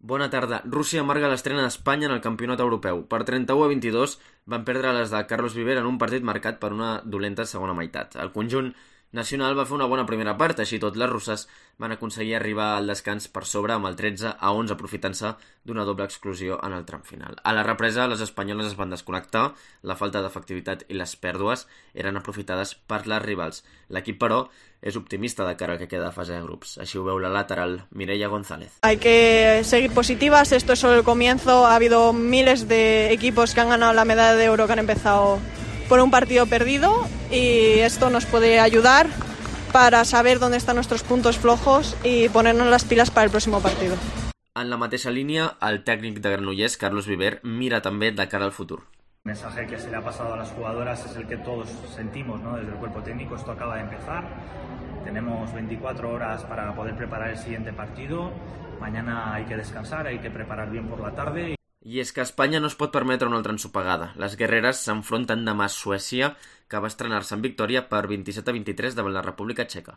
Bona tarda. Rússia amarga l'estrena d'Espanya en el campionat europeu. Per 31-22 van perdre les de Carlos Viver en un partit marcat per una dolenta segona meitat. El conjunt nacional va fer una bona primera part, així tot les russes van aconseguir arribar al descans per sobre amb el 13-11, aprofitant-se d'una doble exclusió en el tram final. A la represa, les espanyoles es van desconnectar, la falta d'efectivitat i les pèrdues eren aprofitades per les rivals. L'equip, però, és optimista de cara al que queda de fase de grups. Així ho veu la lateral Mireia González. Hay que seguir positivas, esto es solo el comienzo. Ha habido miles de equipos que han ganado la medalla de oro que han empezado por un partido perdido y esto nos puede ayudar para saber dónde están nuestros puntos flojos y ponernos las pilas para el próximo partido. En la mateixa línia, el tècnic de Granollers, Carlos Viver, mira també de cara al futur. El mensaje que se le ha pasado a las jugadoras es el que todos sentimos, ¿no? Desde el cuerpo técnico. Esto acaba de empezar, tenemos 24 horas para poder preparar el siguiente partido, mañana hay que descansar, hay que preparar bien por la tarde. I és que Espanya no es pot permetre una altra ensopegada. Les guerreres s'enfronten demà a Suècia, que va estrenar-se en victòria per 27-23 davant la República Txeca.